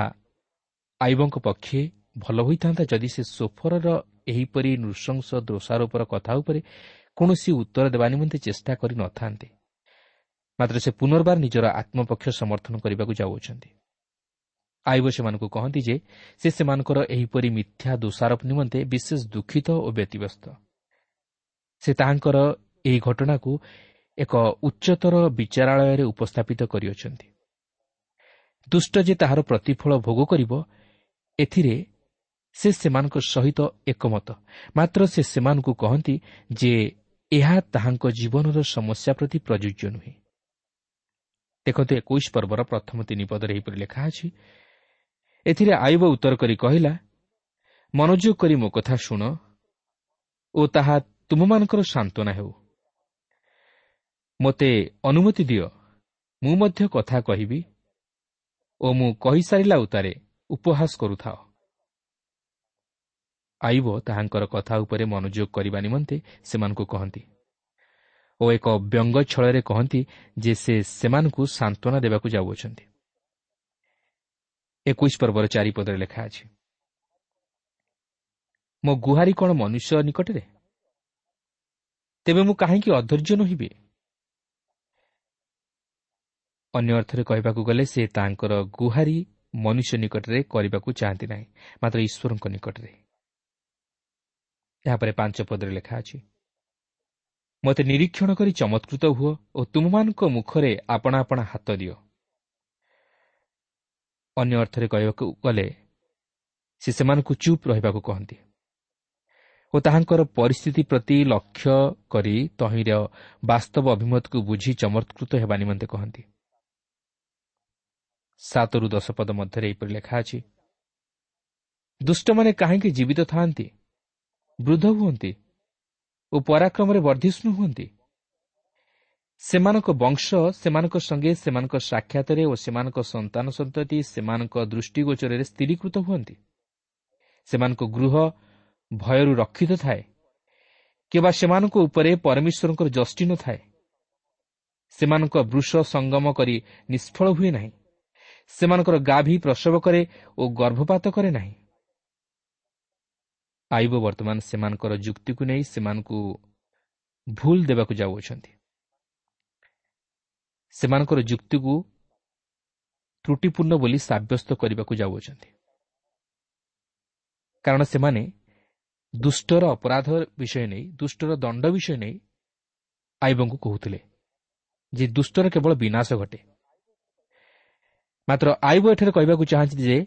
ଆୟୁବଙ୍କ ପକ୍ଷେ ଭଲ ହୋଇଥାନ୍ତା ଯଦି ସେ ସୋଫରର ଏହିପରି ନୃଶଂସ ଦୋଷାରୋପର କଥା ଉପରେ କୌଣସି ଉତ୍ତର ଦେବା ନିମନ୍ତେ ଚେଷ୍ଟା କରିନଥାନ୍ତେ। ମାତ୍ର ସେ ପୁନର୍ବାର ନିଜର ଆତ୍ମପକ୍ଷ ସମର୍ଥନ କରିବାକୁ ଯାଉଅଛନ୍ତି। ଆୟୁବ ସେମାନଙ୍କୁ କହନ୍ତି ଯେ ସେ ସେମାନଙ୍କର ଏହିପରି ମିଥ୍ୟା ଦୋଷାରୋପ ନିମନ୍ତେ ବିଶେଷ ଦୁଃଖିତ ଓ ବ୍ୟତିବ୍ୟସ୍ତ। ସେ ତାହାଙ୍କର ଏହି ଘଟଣାକୁ ଏକ ଉଚ୍ଚତର ବିଚାରାଳୟରେ ଉପସ୍ଥାପିତ କରିଅଛନ୍ତି। ଦୁଷ୍ଟ ଯେ ତାହାର ପ୍ରତିଫଳ ଭୋଗ କରିବ, ଏଥିରେ ସେ ସେମାନଙ୍କ ସହିତ ଏକମତ। ମାତ୍ର ସେ ସେମାନଙ୍କୁ କହନ୍ତି ଯେ ଏହା ତାହାଙ୍କ ଜୀବନର ସମସ୍ୟା ପ୍ରତି ପ୍ରଯୁଜ୍ୟ ନୁହେଁ। ଦେଖନ୍ତୁ, ଏକୋଇଶ ପର୍ବର ପ୍ରଥମ ତିନି ପଦରେ ଏହିପରି ଲେଖା ଅଛି, ଏଥିରେ ଆୟୁବ ଉତ୍ତର କରି କହିଲା, ମନୋଯୋଗ କରି ମୋ କଥା ଶୁଣ ଓ ତାହା ତୁମମାନଙ୍କର ସାନ୍ତ୍ୱନା ହେଉ। ମୋତେ ଅନୁମତି ଦିଅ, ମୁଁ ମଧ୍ୟ କଥା କହିବି ଓ ମୁଁ କହିସାରିଲା ଉତ୍ତାରେ ଉପହାସ କରୁଥାଅ। ଆୟୁବ ତାହାଙ୍କର କଥା ଉପରେ ମନୋଯୋଗ କରିବା ନିମନ୍ତେ ସେମାନଙ୍କୁ କହନ୍ତି ଓ ଏକ ବ୍ୟଙ୍ଗ ଛଳରେ କହନ୍ତି ଯେ ସେ ସେମାନଙ୍କୁ ସାନ୍ତ୍ୱନା ଦେବାକୁ ଯାଉଅଛନ୍ତି। ଏକୋଇଶ ପର୍ବର ଚାରିପଦରେ ଲେଖା ଅଛି, ମୋ ଗୁହାରି କ'ଣ ମନୁଷ୍ୟ ନିକଟରେ? ତେବେ ମୁଁ କାହିଁକି ଅଧୈର୍ଯ୍ୟ ନୋହିବି? ଅନ୍ୟ ଅର୍ଥରେ କହିବାକୁ ଗଲେ ସେ ତାଙ୍କର ଗୁହାରି ମନୁଷ୍ୟ ନିକଟରେ କରିବାକୁ ଚାହାନ୍ତି ନାହିଁ, ମାତ୍ର ଈଶ୍ୱରଙ୍କ ନିକଟରେ। ଏହାପରେ ପାଞ୍ଚ ପଦରେ ଲେଖା ଅଛି, ମୋତେ ନିରୀକ୍ଷଣ କରି ଚମତ୍କୃତ ହୁଅ ଓ ତୁମମାନଙ୍କ ମୁଖରେ ଆପଣା ଆପଣା ହାତ ଦିଅ। ଅନ୍ୟ ଅର୍ଥରେ କହିବାକୁ ଗଲେ ସେ ସେମାନଙ୍କୁ ଚୁପ୍ ରହିବାକୁ କହନ୍ତି ଓ ତାହାଙ୍କର ପରିସ୍ଥିତି ପ୍ରତି ଲକ୍ଷ୍ୟ କରି ତହିଁର ବାସ୍ତବ ଅଭିମତକୁ ବୁଝି ଚମତ୍କୃତ ହେବା ନିମନ୍ତେ କହନ୍ତି। ସାତରୁ ଦଶ ପଦ ମଧ୍ୟରେ ଏହିପରି ଲେଖା ଅଛି, ଦୁଷ୍ଟମାନେ କାହିଁକି ଜୀବିତ ଥାଆନ୍ତି, ବୃଦ୍ଧ ହୁଅନ୍ତି ଓ ପରାକ୍ରମରେ ବର୍ଦ୍ଧିଷ୍ଣୁ ହୁଅନ୍ତି? ସେମାନଙ୍କ ବଂଶ ସେମାନଙ୍କ ସଙ୍ଗେ ସେମାନଙ୍କ ସାକ୍ଷାତରେ ଓ ସେମାନଙ୍କ ସନ୍ତାନ ସନ୍ତତି ସେମାନଙ୍କ ଦୃଷ୍ଟିଗୋଚରରେ ସ୍ଥିରୀକୃତ ହୁଅନ୍ତି। ସେମାନଙ୍କ ଗୃହ ଭୟରୁ ରକ୍ଷିତ ଥାଏ, କିମ୍ବା ସେମାନଙ୍କ ଉପରେ ପରମେଶ୍ୱରଙ୍କର ଯଷ୍ଟି ନଥାଏ। ସେମାନଙ୍କ ବୃଷ ସଙ୍ଗମ କରି ନିଷ୍ଫଳ ହୁଏ ନାହିଁ, ସେମାନଙ୍କର ଗାଭୀ ପ୍ରସବ କରେ ଓ ଗର୍ଭପାତ କରେ ନାହିଁ। ଆଇବ ବର୍ତ୍ତମାନ ସେମାନଙ୍କର ଯୁକ୍ତିକୁ ନେଇ ସେମାନଙ୍କୁ ଭୁଲ ଦେବାକୁ ଯାଉଅଛନ୍ତି। ସେମାନଙ୍କର ଯୁକ୍ତିକୁ ତ୍ରୁଟିପୂର୍ଣ୍ଣ ବୋଲି ସାବ୍ୟସ୍ତ କରିବାକୁ ଯାଉଅଛନ୍ତି, କାରଣ ସେମାନେ ଦୁଷ୍ଟର ଅପରାଧ ବିଷୟ ନେଇ, ଦୁଷ୍ଟର ଦଣ୍ଡ ବିଷୟ ନେଇ ଆଇବଙ୍କୁ କହୁଥିଲେ ଯେ ଦୁଷ୍ଟର କେବଳ ବିନାଶ ଘଟେ। ମାତ୍ର ଆଇବ ଏଠାରେ କହିବାକୁ ଚାହାନ୍ତି ଯେ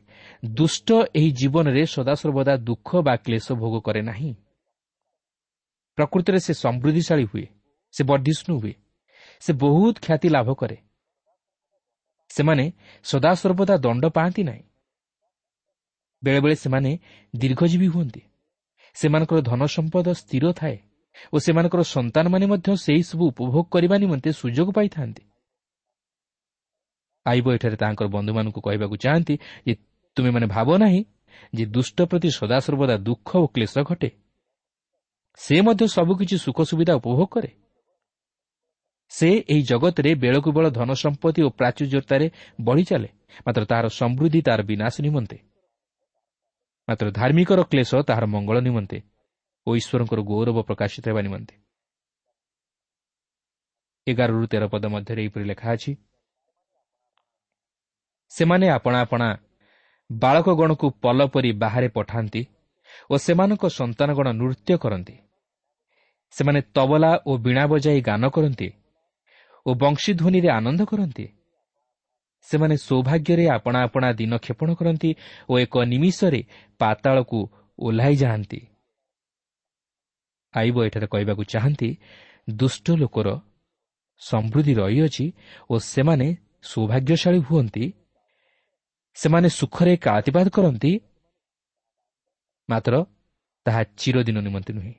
ଦୁଷ୍ଟ ଏହି ଜୀବନରେ ସଦାସର୍ବଦା ଦୁଃଖ ବା କ୍ଲେଶ ଭୋଗ କରେ ନାହିଁ। ପ୍ରକୃତରେ ସେ ସମୃଦ୍ଧିଶାଳୀ ହୁଏ, ସେ ବର୍ଦ୍ଧିଷ୍ଣୁ ହୁଏ, ସେ ବହୁତ ଖ୍ୟାତି ଲାଭ କରେ। ସେମାନେ ସଦାସର୍ବଦା ଦଣ୍ଡ ପାଆନ୍ତି ନାହିଁ। ବେଳେବେଳେ ସେମାନେ ଦୀର୍ଘଜୀବୀ ହୁଅନ୍ତି, ସେମାନଙ୍କର ଧନ ସମ୍ପଦ ସ୍ଥିର ଥାଏ ଓ ସେମାନଙ୍କର ସନ୍ତାନମାନେ ମଧ୍ୟ ସେହିସବୁ ଉପଭୋଗ କରିବା ନିମନ୍ତେ ସୁଯୋଗ ପାଇଥାନ୍ତି। ଆଇବ ଏଠାରେ ତାଙ୍କର ବନ୍ଧୁମାନଙ୍କୁ କହିବାକୁ ଚାହାନ୍ତି ଯେ ତୁମେମାନେ ଭାବ ନାହିଁ ଯେ ଦୁଷ୍ଟ ପ୍ରତି ସଦାସର୍ବଦା ଦୁଃଖ ଓ କ୍ଲେଶ ଘଟେ। ସେ ମଧ୍ୟ ସବୁକିଛି ସୁଖ ସୁବିଧା ଉପଭୋଗ କରେ। ସେ ଏହି ଜଗତରେ ବେଳକୁ ବେଳ ଧନ ସମ୍ପତ୍ତି ଓ ପ୍ରାଚୁର୍ଯ୍ୟତାରେ ବଢ଼ି ଚାଲେ, ମାତ୍ର ତାହାର ସମୃଦ୍ଧି ତାହାର ବିନାଶ ନିମନ୍ତେ। ମାତ୍ର ଧାର୍ମିକର କ୍ଲେଶ ତାହାର ମଙ୍ଗଳ ନିମନ୍ତେ ଓ ଈଶ୍ୱରଙ୍କର ଗୌରବ ପ୍ରକାଶିତ ହେବା ନିମନ୍ତେ। ଏଗାରରୁ ତେର ପଦ ମଧ୍ୟରେ ଏହିପରି ଲେଖା ଅଛି, ସେମାନେ ଆପଣା ଆପଣା ବାଳକଗଣକୁ ପଲ ପରି ବାହାରେ ପଠାନ୍ତି ଓ ସେମାନଙ୍କ ସନ୍ତାନଗଣ ନୃତ୍ୟ କରନ୍ତି। ସେମାନେ ତବଲା ଓ ବୀଣା ବଜାଇ ଗାନ କରନ୍ତି ଓ ବଂଶୀଧ୍ୱନିରେ ଆନନ୍ଦ କରନ୍ତି। ସେମାନେ ସୌଭାଗ୍ୟରେ ଆପଣା ଆପଣା ଦିନ କ୍ଷେପଣ କରନ୍ତି ଓ ଏକ ନିମିଷରେ ପାତାଳକୁ ଓହ୍ଲାଇ ଯାଆନ୍ତି। ଆଇବ ଏଠାରେ କହିବାକୁ ଚାହାନ୍ତି ଦୁଷ୍ଟ ଲୋକର ସମୃଦ୍ଧି ରହିଅଛି ଓ ସେମାନେ ସୌଭାଗ୍ୟଶାଳୀ ହୁଅନ୍ତି, ସେମାନେ ସୁଖରେ କାଳାତିପାତ କରନ୍ତି, ମାତ୍ର ତାହା ଚିରଦିନ ନିମନ୍ତେ ନୁହେଁ।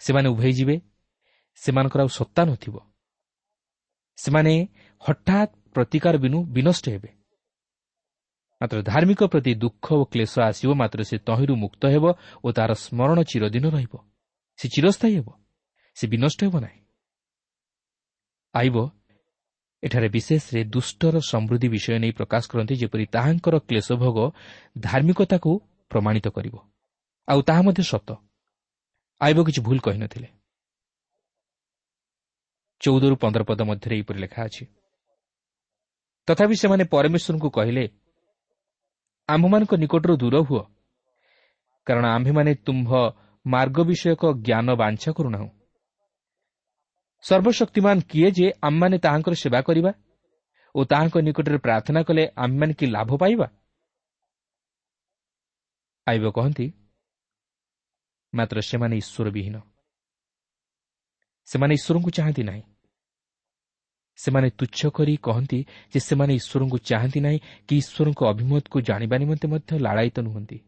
ସେମାନେ ଉଭେଇ ଯିବେ, ସେମାନଙ୍କର ଆଉ ସତ୍ତା ନଥିବ। ସେମାନେ ହଠାତ୍ ପ୍ରତିକାର ବିନୁ ବିନଷ୍ଟ ହେବେ। ମାତ୍ର ଧାର୍ମିକ ପ୍ରତି ଦୁଃଖ ଓ କ୍ଲେଶ ଆସିବ, ମାତ୍ର ସେ ତହିଁରୁ ମୁକ୍ତ ହେବ ଓ ତାହାର ସ୍ମରଣ ଚିରଦିନ ରହିବ। ସେ ଚିରସ୍ଥାୟୀ ହେବ, ସେ ବିନଷ୍ଟ ହେବ ନାହିଁ। ଆଇବ ଏଠାରେ ବିଶେଷରେ ଦୁଷ୍ଟର ସମୃଦ୍ଧି ବିଷୟ ନେଇ ପ୍ରକାଶ କରନ୍ତି, ଯେପରି ତାହାଙ୍କର କ୍ଲେଶଭୋଗ ଧାର୍ମିକତାକୁ ପ୍ରମାଣିତ କରିବ। ଆଉ ତାହା ମଧ୍ୟ ସତ। ଆଇବ କିଛି ଭୁଲ କହିନଥିଲେ। ଚଉଦରୁ ପନ୍ଦର ପଦ ମଧ୍ୟରେ ଏହିପରି ଲେଖା ଅଛି, ତଥାପି ସେମାନେ ପରମେଶ୍ୱରଙ୍କୁ କହିଲେ, ଆମ୍ଭମାନଙ୍କ ନିକଟରୁ ଦୂର ହୁଅ, କାରଣ ଆମ୍ଭେମାନେ ତୁମ୍ଭ ମାର୍ଗ ବିଷୟକ ଜ୍ଞାନ ବାଞ୍ଛା କରୁନାହୁଁ। ସର୍ବଶକ୍ତିମାନ କିଏ ଯେ ଆମମାନେ ତାହାଙ୍କର ସେବା କରିବା ଓ ତାହାଙ୍କ ନିକଟରେ ପ୍ରାର୍ଥନା କଲେ ଆମେମାନେ କି ଲାଭ ପାଇବା? ଆଇବ କହନ୍ତି, ମାତ୍ର ସେମାନେ ଈଶ୍ୱର ବିହୀନ, ସେମାନେ ଈଶ୍ୱରଙ୍କୁ ଚାହାନ୍ତି ନାହିଁ। ସେମାନେ ତୁଚ୍ଛ କରି କହନ୍ତି ଯେ ସେମାନେ ଈଶ୍ୱରଙ୍କୁ ଚାହାନ୍ତି ନାହିଁ କି ଈଶ୍ୱରଙ୍କ ଅଭିମତକୁ ଜାଣିବା ନିମନ୍ତେ ମଧ୍ୟ ଲାଳାୟିତ ନୁହନ୍ତି।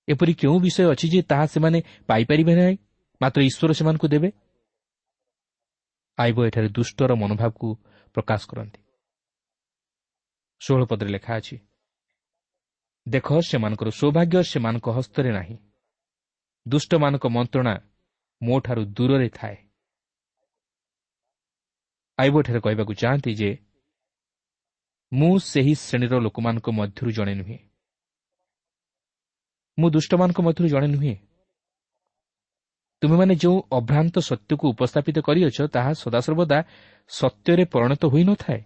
ଏପରି କେଉଁ ବିଷୟ ଅଛି ଯେ ତାହା ସେମାନେ ପାଇପାରିବେ ନାହିଁ, ମାତ୍ର ଈଶ୍ୱର ସେମାନଙ୍କୁ ଦେବେ? ଆଇବ ଏଠାରେ ଦୁଷ୍ଟର ମନୋଭାବକୁ ପ୍ରକାଶ କରନ୍ତି। ଷୋହଳ ପଦରେ ଲେଖା ଅଛି, ଦେଖ, ସେମାନଙ୍କର ସୌଭାଗ୍ୟ ସେମାନଙ୍କ ହସ୍ତରେ ନାହିଁ, ଦୁଷ୍ଟମାନଙ୍କ ମନ୍ତ୍ରଣା ମୋଠାରୁ ଦୂରରେ ଥାଏ। ଆଇବ ଏଠାରେ କହିବାକୁ ଚାହାନ୍ତି ଯେ ମୁଁ ସେହି ଶ୍ରେଣୀର ଲୋକମାନଙ୍କ ମଧ୍ୟରୁ ଜଣେ ନୁହେଁ। ମୁଁ ଦୁଷ୍ଟମାନଙ୍କ ମଧ୍ୟରୁ ଜଣେ ନୁହେଁ। ତୁମେମାନେ ଯେଉଁ ଅଭ୍ରାନ୍ତ ସତ୍ୟକୁ ଉପସ୍ଥାପିତ କରିଅଛ, ତାହା ସଦାସର୍ବଦା ସତ୍ୟରେ ପରିଣତ ହୋଇନଥାଏ।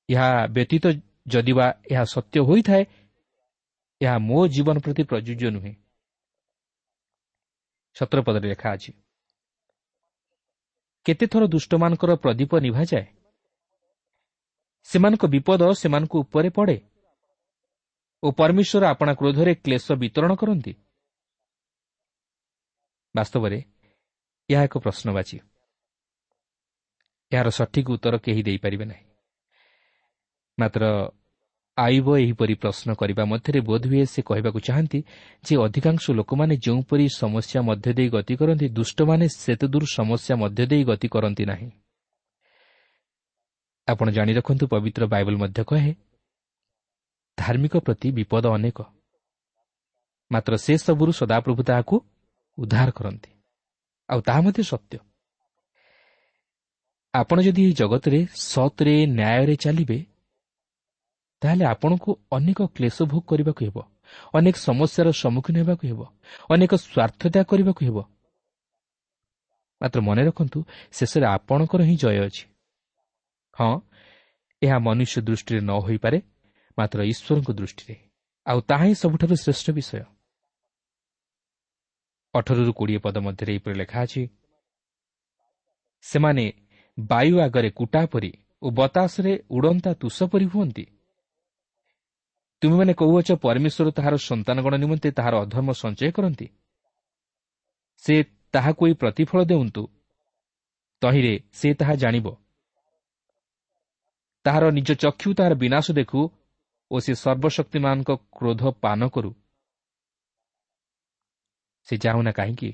ଏହା ବ୍ୟତୀତ ଯଦିବା ଏହା ସତ୍ୟ ହୋଇଥାଏ, ଏହା ମୋ ଜୀବନ ପ୍ରତି ପ୍ରଯୁଜ୍ୟ ନୁହେଁ। ସତର ପଦରେ ଲେଖା ଅଛି, କେତେଥର ଦୁଷ୍ଟମାନଙ୍କର ପ୍ରଦୀପ ନିଭାଯାଏ, ସେମାନଙ୍କ ବିପଦ ସେମାନଙ୍କ ଉପରେ ପଡ଼େ ଓ ପରମେଶ୍ୱର ଆପଣା କ୍ରୋଧରେ କ୍ଲେଶ ବିତରଣ କରନ୍ତି। ବାସ୍ତବରେ ଏହା ଏକ ପ୍ରଶ୍ନବାଚୀ। ଏହାର ସଠିକ୍ ଉତ୍ତର କେହି ଦେଇପାରିବେ ନାହିଁ। ମାତ୍ର ଆୟୁବ ଏହିପରି ପ୍ରଶ୍ନ କରିବା ମଧ୍ୟରେ ବୋଧହୁଏ ସେ କହିବାକୁ ଚାହାନ୍ତି ଯେ ଅଧିକାଂଶ ଲୋକମାନେ ଯେଉଁପରି ସମସ୍ୟା ମଧ୍ୟ ଦେଇ ଗତି କରନ୍ତି, ଦୁଷ୍ଟମାନେ ସେତେଦୂର ସମସ୍ୟା ମଧ୍ୟ ଦେଇ ଗତି କରନ୍ତି ନାହିଁ। ଆପଣ ଜାଣି ରଖନ୍ତୁ, ପବିତ୍ର ବାଇବଲ ମଧ୍ୟ କହେ, ଧାର୍ମିକ ପ୍ରତି ବିପଦ ଅନେକ, ମାତ୍ର ସେସବୁରୁ ସଦାପ୍ରଭୁ ତାହାକୁ ଉଦ୍ଧାର କରନ୍ତି। ଆଉ ତାହା ମଧ୍ୟ ସତ୍ୟ। ଆପଣ ଯଦି ଏହି ଜଗତରେ ସତରେ ନ୍ୟାୟରେ ଚାଲିବେ, ତାହେଲେ ଆପଣଙ୍କୁ ଅନେକ କ୍ଲେଶ ଭୋଗ କରିବାକୁ ହେବ, ଅନେକ ସମସ୍ୟାର ସମ୍ମୁଖୀନ ହେବାକୁ ହେବ, ଅନେକ ସ୍ୱାର୍ଥ ତ୍ୟାଗ କରିବାକୁ ହେବ। ମାତ୍ର ମନେ ରଖନ୍ତୁ, ଶେଷରେ ଆପଣଙ୍କର ହିଁ ଜୟ ଅଛି। ହଁ, ଏହା ମନୁଷ୍ୟ ଦୃଷ୍ଟିରେ ନ ହୋଇପାରେ, ମାତ୍ର ଈଶ୍ୱରଙ୍କ ଦୃଷ୍ଟିରେ, ଆଉ ତାହା ହିଁ ସବୁଠାରୁ ଶ୍ରେଷ୍ଠ ବିଷୟ। ଅଠରରୁ କୋଡ଼ିଏ ପଦ ମଧ୍ୟରେ ଏହିପରି ଲେଖା ଅଛି, ସେମାନେ ବାୟୁ ଆଗରେ କୁଟା ପରି ଓ ବତାସରେ ଉଡ଼ନ୍ତା ତୁଷ ପରି ହୁଅନ୍ତି। ତୁମେମାନେ କହୁଅଛ, ପରମେଶ୍ୱର ତାହାର ସନ୍ତାନଗଣ ନିମନ୍ତେ ତାହାର ଅଧର୍ମ ସଞ୍ଚୟ କରନ୍ତି। ସେ ତାହାକୁ ଏହି ପ୍ରତିଫଳ ଦେଉନ୍ତୁ, ତହିଁରେ ସେ ତାହା ଜାଣିବ। ତାହାର ନିଜ ଚକ୍ଷୁ ତାହାର ବିନାଶ ଦେଖୁ ଓ ସେ ସର୍ବଶକ୍ତିମାନଙ୍କ କ୍ରୋଧ ପାନ କରୁ। ସେ ଯାଉନା କାହିଁକି,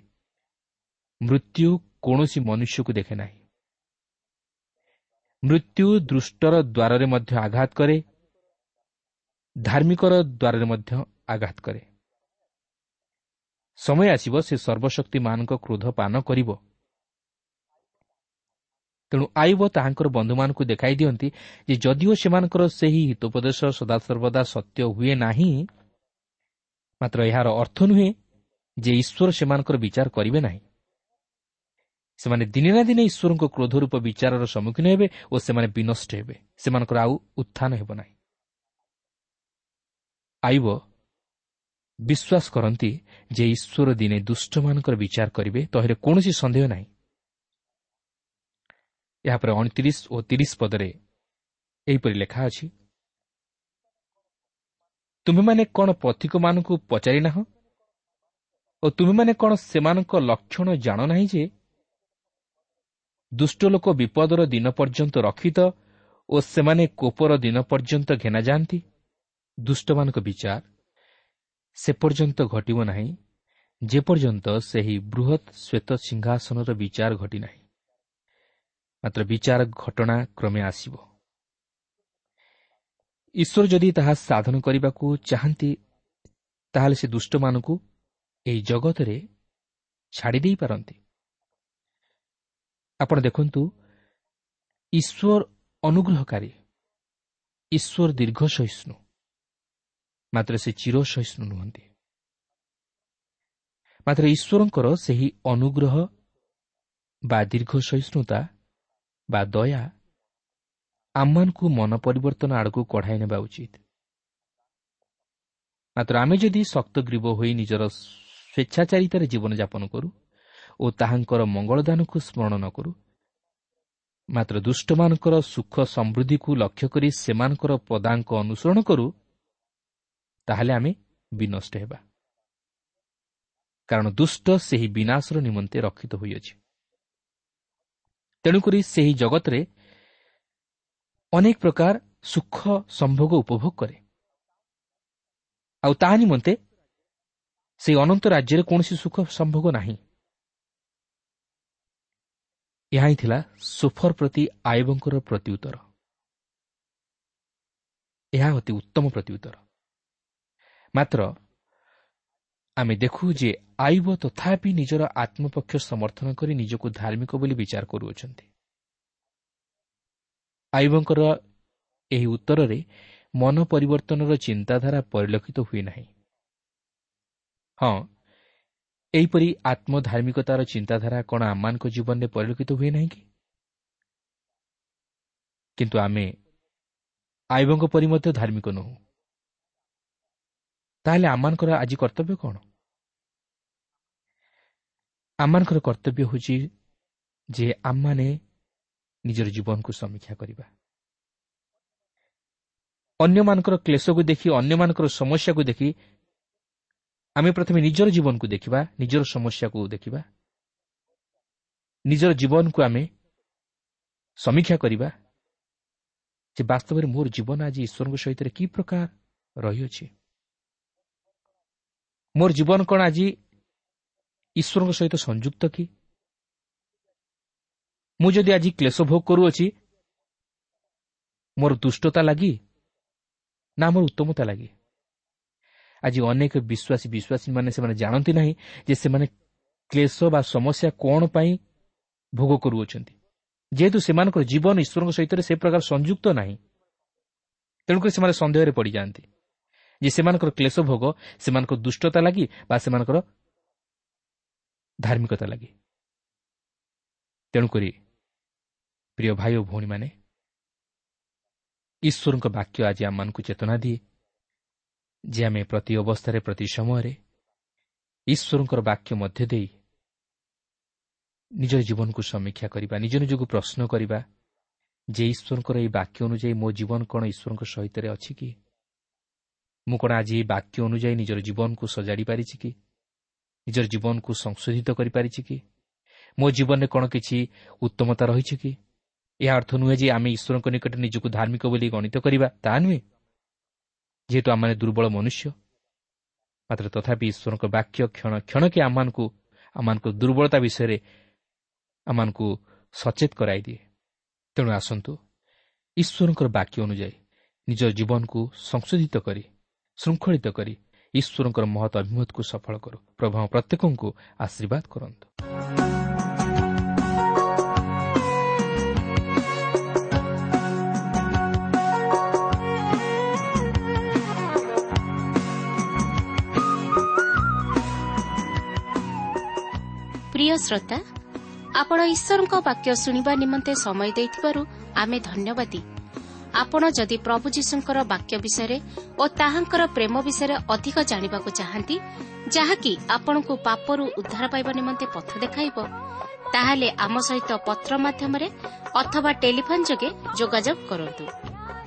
ମୃତ୍ୟୁ କୌଣସି ମନୁଷ୍ୟକୁ ଦେଖେ ନାହିଁ। ମୃତ୍ୟୁ ଦୃଷ୍ଟର ଦ୍ୱାରରେ ମଧ୍ୟ ଆଘାତ କରେ, ଧାର୍ମିକର ଦ୍ୱାରରେ ମଧ୍ୟ ଆଘାତ କରେ। ସମୟ ଆସିବ ସେ ସର୍ବଶକ୍ତିମାନଙ୍କ କ୍ରୋଧ ପାନ କରିବ। ତେଣୁ ଆୟୁବ ତାହାଙ୍କର ବନ୍ଧୁମାନଙ୍କୁ ଦେଖାଇ ଦିଅନ୍ତି ଯେ ଯଦିଓ ସେମାନଙ୍କର ସେହି ହିତୋପଦେଶ ସଦାସର୍ବଦା ସତ୍ୟ ହୁଏ ନାହିଁ, ମାତ୍ର ଏହାର ଅର୍ଥ ନୁହେଁ ଯେ ଈଶ୍ୱର ସେମାନଙ୍କର ବିଚାର କରିବେ ନାହିଁ। ସେମାନେ ଦିନେ ନା ଦିନେ ଈଶ୍ୱରଙ୍କ କ୍ରୋଧ ରୂପ ବିଚାରର ସମ୍ମୁଖୀନ ହେବେ ଓ ସେମାନେ ବିନଷ୍ଟ ହେବେ, ସେମାନଙ୍କର ଆଉ ଉତ୍ଥାନ ହେବ ନାହିଁ। ଆୟୁବ ବିଶ୍ୱାସ କରନ୍ତି ଯେ ଈଶ୍ୱର ଦିନେ ଦୁଷ୍ଟମାନଙ୍କର ବିଚାର କରିବେ, ତହିଁରେ କୌଣସି ସନ୍ଦେହ ନାହିଁ। ଏହାପରେ ଅଣତିରିଶ ଓ ତିରିଶ ପଦରେ ଏହିପରି ଲେଖା ଅଛି, ତୁମେମାନେ କ'ଣ ପଥିକମାନଙ୍କୁ ପଚାରି ନାହଁ ଓ ତୁମେମାନେ କ'ଣ ସେମାନଙ୍କ ଲକ୍ଷଣ ଜାଣ ନାହିଁ ଯେ ଦୁଷ୍ଟ ଲୋକ ବିପଦର ଦିନ ପର୍ଯ୍ୟନ୍ତ ରକ୍ଷିତ ଓ ସେମାନେ କୋପର ଦିନ ପର୍ଯ୍ୟନ୍ତ ଘେନା ଯାଆନ୍ତି। ଦୁଷ୍ଟମାନଙ୍କ ବିଚାର ସେ ପର୍ଯ୍ୟନ୍ତ ଘଟିବ ନାହିଁ ଯେପର୍ଯ୍ୟନ୍ତ ସେହି ବୃହତ୍ ଶ୍ୱେତ ସିଂହାସନର ବିଚାର ଘଟିନାହିଁ। ମାତ୍ର ବିଚାର ଘଟଣା କ୍ରମେ ଆସିବ। ଈଶ୍ୱର ଯଦି ତାହା ସାଧନ କରିବାକୁ ଚାହାନ୍ତି, ତାହେଲେ ସେ ଦୁଷ୍ଟମାନଙ୍କୁ ଏହି ଜଗତରେ ଛାଡ଼ି ଦେଇପାରନ୍ତି। ଆପଣ ଦେଖନ୍ତୁ, ଈଶ୍ୱର ଅନୁଗ୍ରହକାରୀ, ଈଶ୍ୱର ଦୀର୍ଘ ସହିଷ୍ଣୁ, ମାତ୍ର ସେ ଚିର ସହିଷ୍ଣୁ ନୁହନ୍ତି। ମାତ୍ର ଈଶ୍ୱରଙ୍କର ସେହି ଅନୁଗ୍ରହ ବା ଦୀର୍ଘ ସହିଷ୍ଣୁତା ବା ଦୟା ଆମମାନଙ୍କୁ ମନ ପରିବର୍ତ୍ତନ ଆଡ଼କୁ କଢ଼ାଇ ନେବା ଉଚିତ। ମାତ୍ର ଆମେ ଯଦି ଶକ୍ତଗ୍ରୀବ ହୋଇ ନିଜର ସ୍ୱେଚ୍ଛାଚାରିତାରେ ଜୀବନଯାପନ କରୁ ଓ ତାହାଙ୍କର ମଙ୍ଗଳଦାନକୁ ସ୍ମରଣ ନ କରୁ, ମାତ୍ର ଦୁଷ୍ଟମାନଙ୍କର ସୁଖ ସମୃଦ୍ଧିକୁ ଲକ୍ଷ୍ୟ କରି ସେମାନଙ୍କର ପଦାଙ୍କ ଅନୁସରଣ କରୁ, ତାହେଲେ ଆମେ ବିନଷ୍ଟ ହେବା। କାରଣ ଦୁଷ୍ଟ ସେହି ବିନାଶର ନିମନ୍ତେ ରକ୍ଷିତ ହୋଇଅଛି। ତେଣୁକରି ସେହି ଜଗତରେ ଅନେକ ପ୍ରକାର ସୁଖ ସମ୍ଭୋଗ ଉପଭୋଗ କରେ, ଆଉ ତାହା ନିମନ୍ତେ ସେହି ଅନନ୍ତ ରାଜ୍ୟରେ କୌଣସି ସୁଖ ସମ୍ଭୋଗ ନାହିଁ। ଏହା ହିଁ ଥିଲା ସୋଫର ପ୍ରତି ଆୟୁବଙ୍କର ପ୍ରତ୍ୟୁତ୍ତର। ଏହା ଅତି ଉତ୍ତମ ପ୍ରତ୍ୟୁତ୍ତର। ମାତ୍ର ଆମେ ଦେଖୁ ଯେ ଆୟୁବ ତଥାପି ନିଜର ଆତ୍ମପକ୍ଷ ସମର୍ଥନ କରି ନିଜକୁ ଧାର୍ମିକ ବୋଲି ବିଚାର କରୁଅଛନ୍ତି। ଆୟୁବଙ୍କର ଏହି ଉତ୍ତରରେ ମନ ପରିବର୍ତ୍ତନର ଚିନ୍ତାଧାରା ପରିଲକ୍ଷିତ ହୁଏ ନାହିଁ। ହଁ, ଏହିପରି ଆତ୍ମଧାର୍ମିକତାର ଚିନ୍ତାଧାରା କ'ଣ ଆମମାନଙ୍କ ଜୀବନରେ ପରିଲକ୍ଷିତ ହୁଏ ନାହିଁ କି? କିନ୍ତୁ ଆମେ ଆଇବଙ୍କ ପରି ମଧ୍ୟ ଧାର୍ମିକ ନୋହୁ। ତାହେଲେ ଆମମାନଙ୍କର ଆଜି କର୍ତ୍ତବ୍ୟ କ'ଣ? ଆମମାନଙ୍କର କର୍ତ୍ତବ୍ୟ ହେଉଛି ଯେ ଆମମାନେ ନିଜର ଜୀବନକୁ ସମୀକ୍ଷା କରିବା। ଅନ୍ୟମାନଙ୍କର କ୍ଲେଶକୁ ଦେଖି, ଅନ୍ୟମାନଙ୍କର ସମସ୍ୟାକୁ ଦେଖି ଆମେ ପ୍ରଥମେ ନିଜର ଜୀବନକୁ ଦେଖିବା, ନିଜର ସମସ୍ୟାକୁ ଦେଖିବା, ନିଜର ଜୀବନକୁ ଆମେ ସମୀକ୍ଷା କରିବା ଯେ ବାସ୍ତବରେ ମୋର ଜୀବନ ଆଜି ଈଶ୍ୱରଙ୍କ ସହିତ କି ପ୍ରକାର ରହିଅଛି, ମୋର ଜୀବନ କ'ଣ ଆଜି ଈଶ୍ୱରଙ୍କ ସହିତ ସଂଯୁକ୍ତ କି? ମୁଁ ଯଦି ଆଜି କ୍ଲେଶ ଭୋଗ କରୁଅଛି, ମୋର ଦୁଷ୍ଟତା ଲାଗି ନା ମୋର ଉତ୍ତମତା ଲାଗି? ଆଜି ଅନେକ ବିଶ୍ୱାସୀ ବିଶ୍ୱାସୀମାନେ ସେମାନେ ଜାଣନ୍ତି ନାହିଁ ଯେ ସେମାନେ କ୍ଲେଶ ବା ସମସ୍ୟା କ'ଣ ପାଇଁ ଭୋଗ କରୁଅଛନ୍ତି। ଯେହେତୁ ସେମାନଙ୍କର ଜୀବନ ଈଶ୍ୱରଙ୍କ ସହିତ ସେ ପ୍ରକାର ସଂଯୁକ୍ତ ନାହିଁ, ତେଣୁକରି ସେମାନେ ସନ୍ଦେହରେ ପଡ଼ିଯାଆନ୍ତି ଯେ ସେମାନଙ୍କର କ୍ଲେଶ ଭୋଗ ସେମାନଙ୍କ ଦୁଷ୍ଟତା ଲାଗି ବା ସେମାନଙ୍କର ଧାର୍ମିକତା ଲାଗି। ତେଣୁକରି ପ୍ରିୟ ଭାଇ ଓ ଭଉଣୀମାନେ, ଈଶ୍ୱରଙ୍କ ବାକ୍ୟ ଆଜି ଆମମାନଙ୍କୁ ଚେତନା ଦିଏ ଯେ ଆମେ ପ୍ରତି ଅବସ୍ଥାରେ, ପ୍ରତି ସମୟରେ ଈଶ୍ୱରଙ୍କର ବାକ୍ୟ ମଧ୍ୟ ଦେଇ ନିଜର ଜୀବନକୁ ସମୀକ୍ଷା କରିବା, ନିଜ ନିଜକୁ ପ୍ରଶ୍ନ କରିବା ଯେ ଈଶ୍ୱରଙ୍କର ଏହି ବାକ୍ୟ ଅନୁଯାୟୀ ମୋ ଜୀବନ କ'ଣ ଈଶ୍ୱରଙ୍କ ସହିତ ଅଛି କି? ମୁଁ କ'ଣ ଆଜି ଏହି ବାକ୍ୟ ଅନୁଯାୟୀ ନିଜର ଜୀବନକୁ ସଜାଡ଼ି ପାରିଛି କି? ନିଜର ଜୀବନକୁ ସଂଶୋଧିତ କରିପାରିଛି କି? ମୋ ଜୀବନରେ କ'ଣ କିଛି ଉତ୍ତମତା ରହିଛି କି? ଏହା ଅର୍ଥ ନୁହେଁ ଯେ ଆମେ ଈଶ୍ୱରଙ୍କ ନିକଟରେ ନିଜକୁ ଧାର୍ମିକ ବୋଲି ଗଣିତ କରିବା, ତାହା ନୁହେଁ। ଯେହେତୁ ଆମମାନେ ଦୁର୍ବଳ ମନୁଷ୍ୟ, ମାତ୍ର ତଥାପି ଈଶ୍ୱରଙ୍କ ବାକ୍ୟ କ୍ଷଣ କ୍ଷଣକେ ଆମମାନଙ୍କୁ ଆମମାନଙ୍କ ଦୁର୍ବଳତା ବିଷୟରେ ଆମମାନଙ୍କୁ ସଚେତ କରାଇଦିଏ। ତେଣୁ ଆସନ୍ତୁ ଈଶ୍ୱରଙ୍କର ବାକ୍ୟ ଅନୁଯାୟୀ ନିଜ ଜୀବନକୁ ସଂଶୋଧିତ କରି, ଶୃଙ୍ଖଳିତ କରି ଈଶ୍ୱରଙ୍କର ମହତ୍ ଅଭିମତକୁ ସଫଳ କରୁ। ପ୍ରଭୁ ଆମ ପ୍ରତ୍ୟେକଙ୍କୁ ଆଶୀର୍ବାଦ କରନ୍ତୁ। ପ୍ରିୟ ଶ୍ରୋତା, ଆପଣ ଈଶ୍ୱରଙ୍କ ବାକ୍ୟ ଶୁଣିବା ନିମନ୍ତେ ସମୟ ଦେଇଥିବାରୁ ଆମେ ଧନ୍ୟବାଦୀ। ଆପଣ ଯଦି ପ୍ରଭୁ ଯୀଶୁଙ୍କର ବାକ୍ୟ ବିଷୟରେ ଓ ତାହାଙ୍କର ପ୍ରେମ ବିଷୟରେ ଅଧିକ ଜାଣିବାକୁ ଚାହାନ୍ତି, ଯାହାକି ଆପଣଙ୍କୁ ପାପରୁ ଉଦ୍ଧାର ପାଇବା ନିମନ୍ତେ ପଥ ଦେଖାଇବ, ତାହେଲେ ଆମ ସହିତ ପତ୍ର ମାଧ୍ୟମରେ ଅଥବା ଟେଲିଫୋନ୍ ଯୋଗେ ଯୋଗାଯୋଗ କରନ୍ତୁ।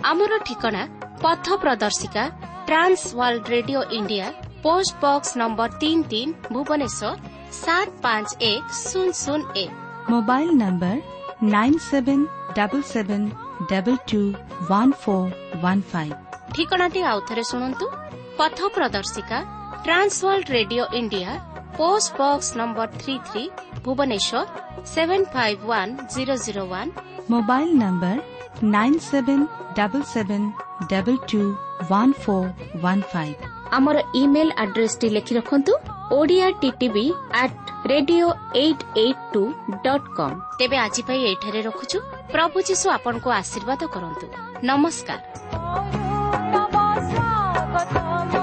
ଆମର ଠିକଣା ପଥ ପ୍ରଦର୍ଶିକା, Trans World Radio India, post box number ତିନି ତିନି, ଭୁବନେଶ୍ୱର ସାତ ପାଞ୍ଚ ଏକ ଶୂନ ଶୂନ ଏକ। Mobile number nine seven double seven double two one four one five. ଠିକଣାଟି ଆଉଥରେ ଶୁଣନ୍ତୁ। ପଥ ପ୍ରଦର୍ଶିକା, Trans World Radio India, post box number three three, Bhubaneswar seven five one zero zero one. Mobile number nine seven double seven double two one four one five. ଆମର email ଆଡ୍ରେସଟି ଲେଖି ରଖନ୍ତୁ, Odia TTV at radio eight eight two dot com. ତେବେ ଆଜି ପାଇଁ ଏଇଠାରେ ରଖୁଛୁ। ପ୍ରଭୁ ଯୀଶୁ ଆପଣଙ୍କୁ ଆଶୀର୍ବାଦ କରନ୍ତୁ। ନମସ୍କାର। ତବ ସ୍ୱାଗତମ।